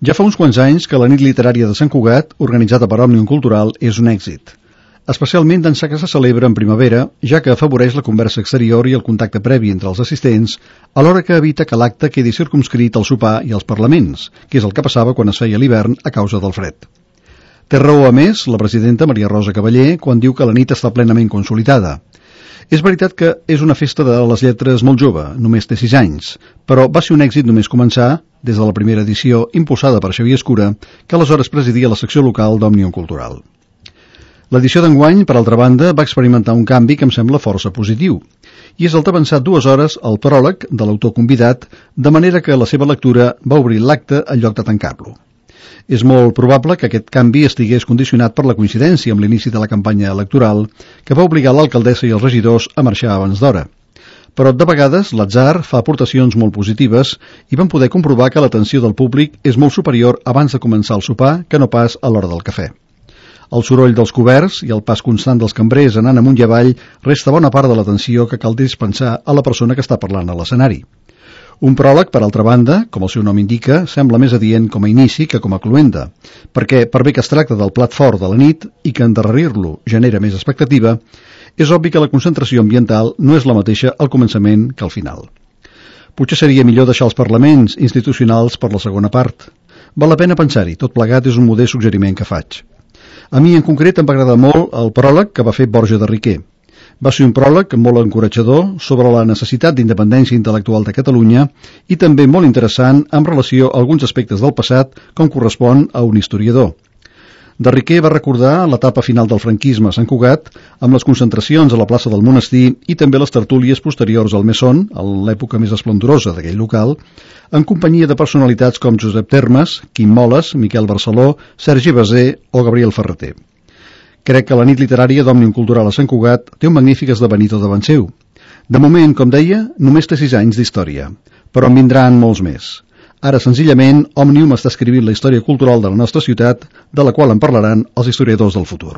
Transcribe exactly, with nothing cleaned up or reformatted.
Ja fa uns quants anys que la nit literària de Sant Cugat, organitzada per Òmnium Cultural, és un èxit. Especialment d'ençà que se celebra en primavera, ja que afavoreix la conversa exterior i el contacte previ entre els assistents, alhora que evita que l'acte quedi circumscrit al sopar i als parlaments, que és el que passava quan es feia a l'hivern a causa del fred. Té raó, a més, la presidenta Maria Rosa Cavaller quan diu que la nit està plenament consolidada. És veritat que és una festa de les lletres molt jove, només té sis anys, però va ser un èxit només començar, des de la primera edició, impulsada per Xavier Escura, que aleshores presidia la secció local d'Òmnium Cultural. L'edició d'enguany, per altra banda, va experimentar un canvi que em sembla força positiu, i és el d'avançar dues hores al pròleg de l'autor convidat, de manera que la seva lectura va obrir l'acte en lloc de tancar-lo. És molt probable que aquest canvi estigués condicionat per la coincidència amb l'inici de la campanya electoral, que va obligar l'alcaldessa i els regidors a marxar abans d'hora. Però de vegades l'atzar fa aportacions molt positives i vam poder comprovar que l'atenció del públic és molt superior abans de començar el sopar que no pas a l'hora del cafè. El soroll dels coberts i el pas constant dels cambrers anant amunt i avall resta bona part de l'atenció que cal dispensar a la persona que està parlant a l'escenari. Un pròleg, per altra banda, com el seu nom indica, sembla més adient com a inici que com a cloenda, perquè, per bé que es tracta del plat fort de la nit i que endarrerir-lo genera més expectativa, és obvi que la concentració ambiental no és la mateixa al començament que al final. Potser seria millor deixar els parlaments institucionals per la segona part. Val la pena pensar-hi, tot plegat és un modest suggeriment que faig. A mi en concret em va agradar molt el pròleg que va fer Borja de Riquer. Va ser un pròleg molt encoratjador sobre la necessitat d'independència intel·lectual de Catalunya i també molt interessant en relació a alguns aspectes del passat com correspon a un historiador. De Riquer va recordar l'etapa final del franquisme a Sant Cugat amb les concentracions a la plaça del Monestir i també les tertúlies posteriors al Mesón, en l'època més esplendorosa d'aquell local, en companyia de personalitats com Josep Termes, Quim Moles, Miquel Barceló, Sergi Basé o Gabriel Ferreter. Crec que la nit literària d'Òmnium Cultural a Sant Cugat té un magnífic esdevenidor davant seu. De moment, com deia, només té sis anys d'història, però en vindran molts més. Ara, senzillament, Òmnium està escrivint la història cultural de la nostra ciutat, de la qual en parlaran els historiadors del futur.